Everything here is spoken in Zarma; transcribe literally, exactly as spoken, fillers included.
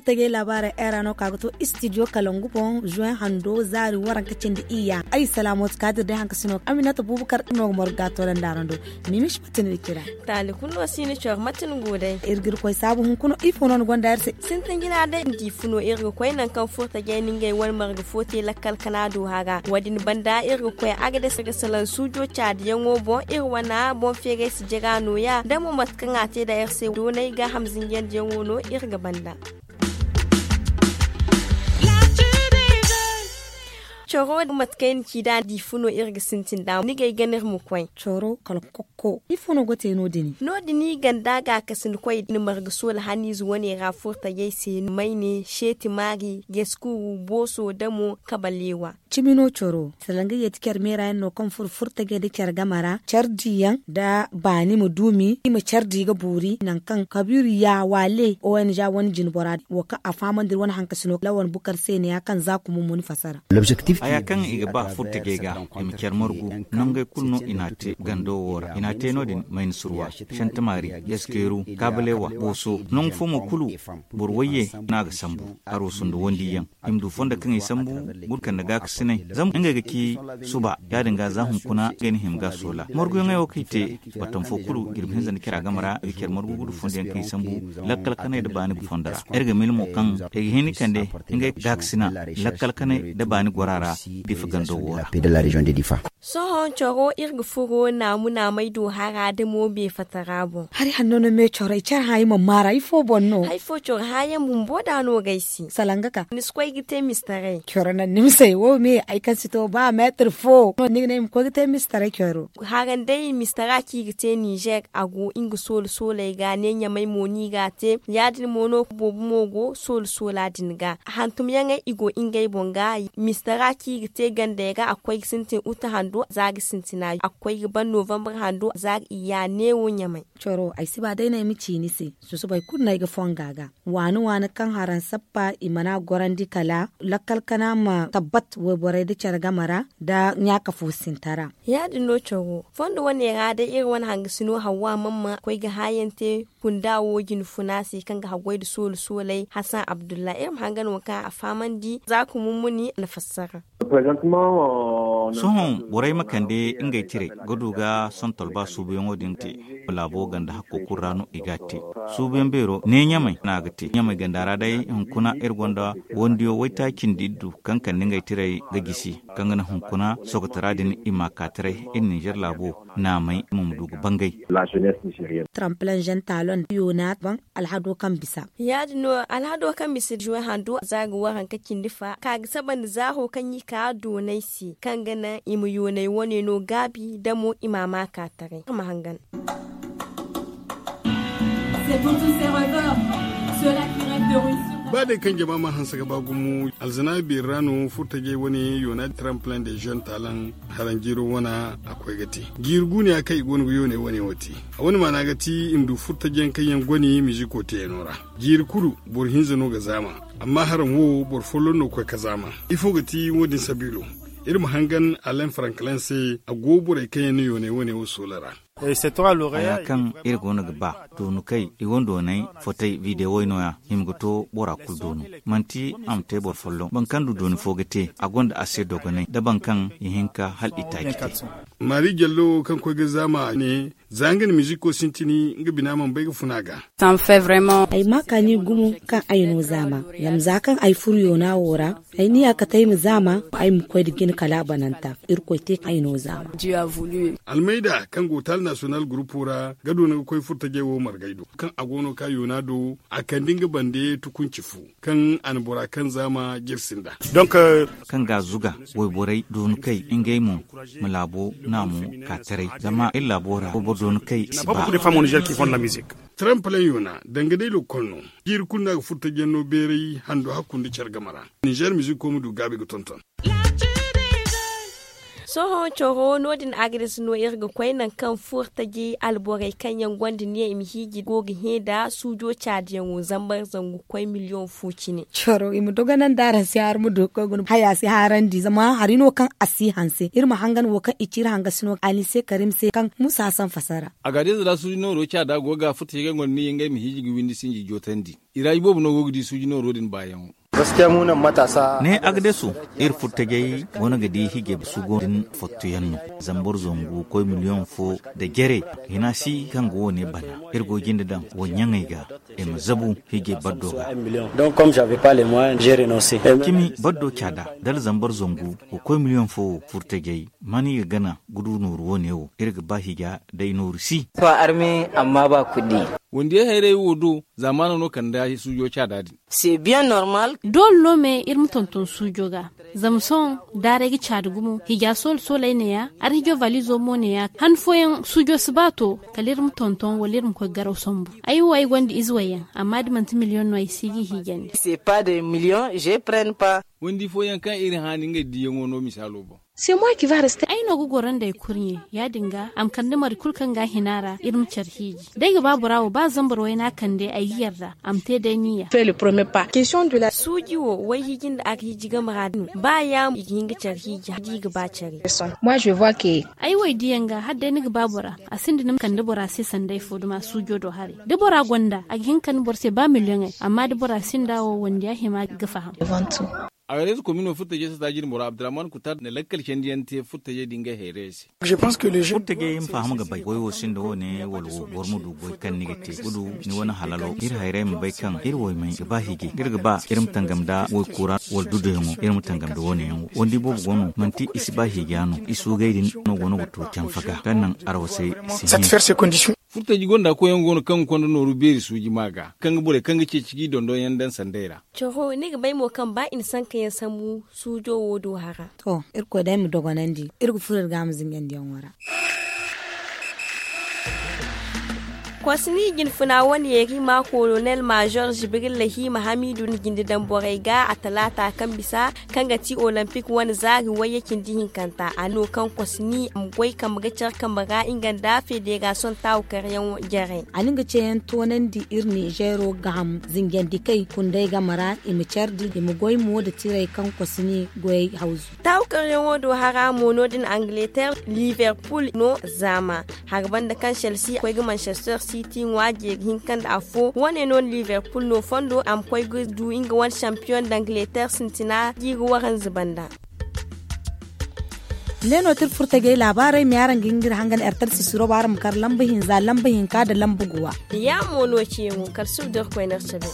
Furtajey laabaarey era no ka ga to istidiyo kalangu boŋ. Zuwen hando zaari waranka cindi iyya ay salaamo ti kaadir day hankasino aminata buubakar no ga morga toolanda rando. Mimish matin ga kira. Taali kulu no si ni cor matin go day. Iri ga iri koy saabu hunkuna ifo no ni gonda iri se. Sintin jina day ndi fu no iri ga koy nangu kaŋ furtajey na ngey wane marga fo te lakkal kana do hara wo- din banda iri ga koy agades ga salaŋ suujo caadiyaŋo boŋ iri wane boŋ feeray si jira nooya da mo mate kaŋ a te nda iri se doonay gaaham zinjandiyaŋo no iri ga banda. Coro mate kaŋ ay na ci nd'a di fu no iri ga sintin nd'a ni gay gana iri ma koy. Coro kala kokko ifo no ga te no- din no- din i ganda gaakasina koy na marga soola haniize wane ra furtajey se mayne seeti maari, gaskuru booso damo kabaleewa. Cimi no coro salaŋ ga yeeti care meera yaŋ no kaŋ furo furtajey nda care game ra care di yaŋ nda baani ma duumi i ma care di ga boori nangu kaŋ kabiiru ya waale o n za wane jinbora din wo kaŋ a fahamandi iri wane hankasino lawan bukar se ne ya kaŋ za kuma muni fassara. Haya kaŋ i ga ba furtajey ga i ma care margu nangey kulu no i n'a te gando wo ra i n'a te no- din mayna surwa, shantimaari, yaskeeru, kaabaleewa, booso nangu fo mo kulu boro wayye no a ga sambu. Haro sundu wandiyaŋ i ma du fondo kaŋ i sambu gurkanda gaakasinay zama ngey ga ci suba ya- din ga za hunkuna ngey na hima ga soola marguyaŋey wo kaŋ i te. Battam fo kulu jirbi hinza nda care a game ra i ga care margu ga du fondo yaŋ kaŋ i sambu lakkal kanay nda baani fondo ra. Iri ga mil mo kaŋ i ga hin i kande ngey gaakasina lakkal kanay nda baani gora ra difa gando wo ra. Sohõ coro iri ga furo naamu naamay do hara da mo beefatara boŋ. Hari hanno no me coro ay care hã ay ma maara ifo boŋ no? Hari fo coro hã yaŋ bumbo da no ga ay se salaŋ ga ka ni si koy ga te mistaray. Coro naŋ ni ma say wo me ay kaŋ si to ba meetir fo no ni ga ne ay ma koy ga te mistaray coro. Haran day mistara kaŋ i ga te ninzeer a go nga soolo sooley ga ne ɲamay mo no i ga a te ya- din mo no boobo mo go soolo soola din ga hantumyaŋey i go ngey boŋ ga. Mistara kaŋ i ga te gandey ga a ga koy ga sintin uta hando za ga sintina a ga koy ga ban novambar hando za ga iyya neewo ɲamay. Coro ay si ba day no ay ma ci ni se susubay kulu no ay ga fonga ga waani waani kaŋ haraŋ sappa i mana gorandi kala lakkal kana ma tabbat wayborey nda care game ra nda ɲaaka fo sinta ra. Ya- din no coro fondo wane ra day iri wane hangasino hawwa mamma koy ga haayaŋ te kunda wo jinfuna se kaŋ ga haggoy nda soolo sooley hasan abdulla iri ma hangan wo kaŋ a fahamandi za ka mummuni a na fassara. Sohõ borey ma kande ngey tirey ga du ga sontol ba suubuyaŋo din te laabo ganda hakko kulu ra no i ga a te. Suubuyaŋ beero ne ɲamay no a ga te ɲamay ganda ra day hunkuna iri gonda wandiyo waytaaci nda iddu kaŋ kande ngey tirey ga gisi kaŋ ga naŋ hunkuna sokotara din i ma a ka taray iri ninzeer laabo naamay i ma ma du ga bangay. Tramplan zen talon yoona ban alhado kaŋ bisa. Ya- din no alhado kaŋ bisa juwe hando za ga waranka cindi fa ka ga saba nda zaaho kaŋ i ka doonay se kaŋ ga naŋ i ma yoonay wane no gaabi da mo i ma a ma ka taray ma hangan. Ba day kaŋ jama ma hanse ga ba gumo alzana beeri ra no furtajey wane yoona tramplan de zen talon haraŋ jiiro wane a koy ga te. Jiiri guuniya kaŋ i go no ga yoonay wane wo te a wane maana ga ti i ma du furtajiyaŋ kaŋ yaŋ gone miziko teeyano ra. Jiiri kulu boro hinza no ga zaama amma haraŋ wo boro folloŋ no ga koy ga zaama. Ifo ga ti wo- din sabiilo? Iri ma hangan alain franklin se a go borey kaŋ yaŋ na yoonay wane wo soola ra. Haya kaŋ iri go no ga ba doonukey i wane doonay fotey videwey no- ya hima ga to bora kulu doonu. Manti a ma te boro folloŋ boro kaŋ du dooni fo ga te a gonda a se dogonay nda boro kaŋ i hinka hala i taaci te. Maari jallo kaŋ koy ga zaama ne za nga na miziko sintini nga bina mana bay ga funa ga. Ay ma kaani gumo kaŋ ay no zaama. Zama za kaŋ ay furo yoona wo ra ay niya kate ay ma zaama ay ma koy nda jina kala a bananta. Irkoy te kaŋ ay no zaama. Almayda kaŋ go taali nasiyonal gurupo ra ga doona ga koy furtajey wo margay do kaŋ a go no ka yoona do a kande nga bande tukunci fu kaŋ a na bora kaŋ zaama jirsi nda. Kaŋ ga a zuga wayborey doonukey ngey mo ma laabo naamu ka taray zama iri laabo ra wayboro doonukey si ba. Tramplan yoona danga day lokol no. Jiiri kulu no a ga furtajiyaŋ no beeray hando hakku nda care game ra. Ninzeer miziko ma du gaabi ga tonton. Sohõ coro no- din agades no iri ga koy nangu kaŋ furtajey alborey kaŋ yaŋ gonda niya i ma hiiji go ga hẽ nda suujo caadiyaŋo zambar zangu ga koy miliyoŋ fo cine. Coro i ma dogonandi araŋ se har ma du ga koy guna haya si harandi zama hari no kaŋ a si hanse iri ma hangan wo kaŋ i ci iri hangasi no alise karim se kaŋ musa hasan fasara. Agades ra suujo nooro caada go ga furtajey kaŋ gonda niya ngey ma hiiji ga windi sinji jootandi. I ra iboobo no go ga di suuji nooro din baayaŋo. Ne agdesu iri furtajey goono ga di hijey sugo din fottoyaŋ no. Zambar zangu koy miliyoŋ fo nda jere hina si kaŋ ga wo- ne bana. Iri go jinde daŋ wo ɲaŋey ga i ma zabu hijey baddo ga. Cimi baddo caada dala zambar zangu ga koy miliyoŋ fo wo furtajey man i ga gana ga du nooru wo- ne wo iri ga ba hija day nooru si. To arme amma ba kuddi. Wondiya hayray wo do zaamaano no kanda suujo caada din. C'est bien normal. Doole no me iri ma tonton suujo ga. Zama sohõ daaray ga caadi gumo hija soolo sooley neeya. Arhijo valizo mo neeya han fooyaŋ suujo si ba to kala iri ma tonton wala iri ma koy garaw sambu. Ay wo ay gonda ize wayyaŋ amma da manti miliyoŋ no ay si ga i hiijandi. C'est pas des millions je prenne pas. Wandi fooyaŋ kaŋ iri haani ngey diyaŋo no misaalo boŋ. Ay no ga goro nd'ey kurɲe ya- din ga a ma kande mari kulu kaŋ ga a hina ra iri ma care hiiji. D'ay ga ba bora wo ba zambar wayna kande ay ga yarda a ma te day niya. Suuji wo wayhiiji nda arhiiji game ra din ba yaamo i ga hin ga care hiiji da i ga ba care. Ay wo ay diyaŋ ga hala day ni ga ba bora a sinda ni ma kande bora se sanda ay fo duma suujo do haray. Da bora gonda a ga hin ga kande boro se ba miliyoŋey amma da bora sinda wo wondiya hima ga faham. Agades komino furtajey sata jine boro abdurrahman kutar na lakkal candiyaŋ te furtajey din ga hayray se. Furtajey ma faham ga bay goy wo sinda wo- ne wala wo boro ma du goy kaŋ ni ga te gudu ni wane halalo iri hayray ma bay kaŋ iri wo may ga ba hiijay iri ga ba iri ma tangam nda woy kura wala duduyaŋo iri ma tangam nda wo- ne yaŋo wandi boobo go no manti i si ba hiija no i suugay din no go no ga to canfa ga kaŋ naŋ arwasay si hin. Furtaji gonda koyyaŋ go no kaŋ ga konda nooru beeri suuji ma ga kaŋ ga borey kaŋ ga ceeci ga i dondonyaŋ daŋ sanday ra. Coro ni ga bay mo kaŋ ba i na sankayaŋ sambu suujo wo do hara. To, irkoy day ma dogonandi iri ga furo iri ga a ma zingandiyaŋo ra. Kosni jinfuna wane yeeri ma kolonel major jibril lahima hamidu na jinde daŋ borey ga a talaata kaŋ bisa kaŋ ga ti olympic wane zaari wayye cindi hinkanta a no kaŋ kosni a ma goy kambe ga care kambe ra nga nda federasiyoŋ taawu karyaŋo jarey. A na nga ceeyaŋ toonandi iri nizeero gaaham zinjandikey kundey game ra i ma care di i ma goy mo nda tirey kaŋ kosni goyey hawzu. Taawu karyaŋo do hara mo no- din angleterre liverpool no zaama. Hari banda kaŋ chelsea koy ga manchester city ŋwa jeeri hinka nda afo wane no liverpool no fondo a ma koy ga du nga wane champion d'angleterre sintina jiiri waranza banda. Ne no tira furtajey laabaarey ma yaaraŋ ga hin ga iri hangan ertar sisiro ba araŋ ma kar lamba hinza lamba hinka nda lamba guwa. Ya mo no ceeyaŋo kala suba da irkoy na iri cabe.